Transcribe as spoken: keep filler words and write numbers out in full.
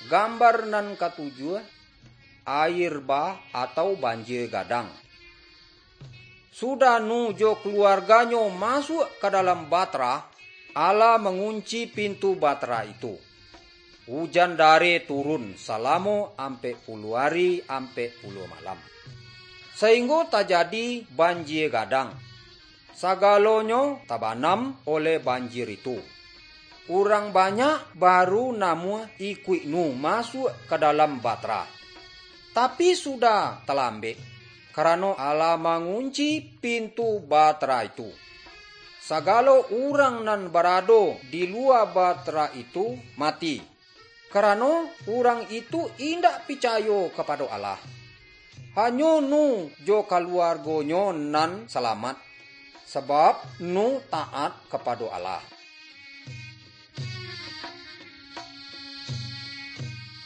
Gambar nan katujuah, air bah atau banjir gadang. Sudah Nuh jo kaluarganyo masuak ka dalam bahtera, Allah mangunci pintu bahtera itu. Ujan dareh turun salamo ampek puluah ari ampek puluah malam, sainggo tajadi banjir gadang. Sagalonyo tabanam oleh banjir itu. Urang banyak baru namuah ikuik Nuh masuak ka dalam bahtera. Tapi sudah talambek, karano Allah mangunci pintu bahtera itu. Sagalo urang nan barado di lua bahtera itu mati, karano urang itu indak picayo kapado Allah. Hanyo Nuh jo kaluargonyo nan salamat, sabab Nuh taat kapado Allah.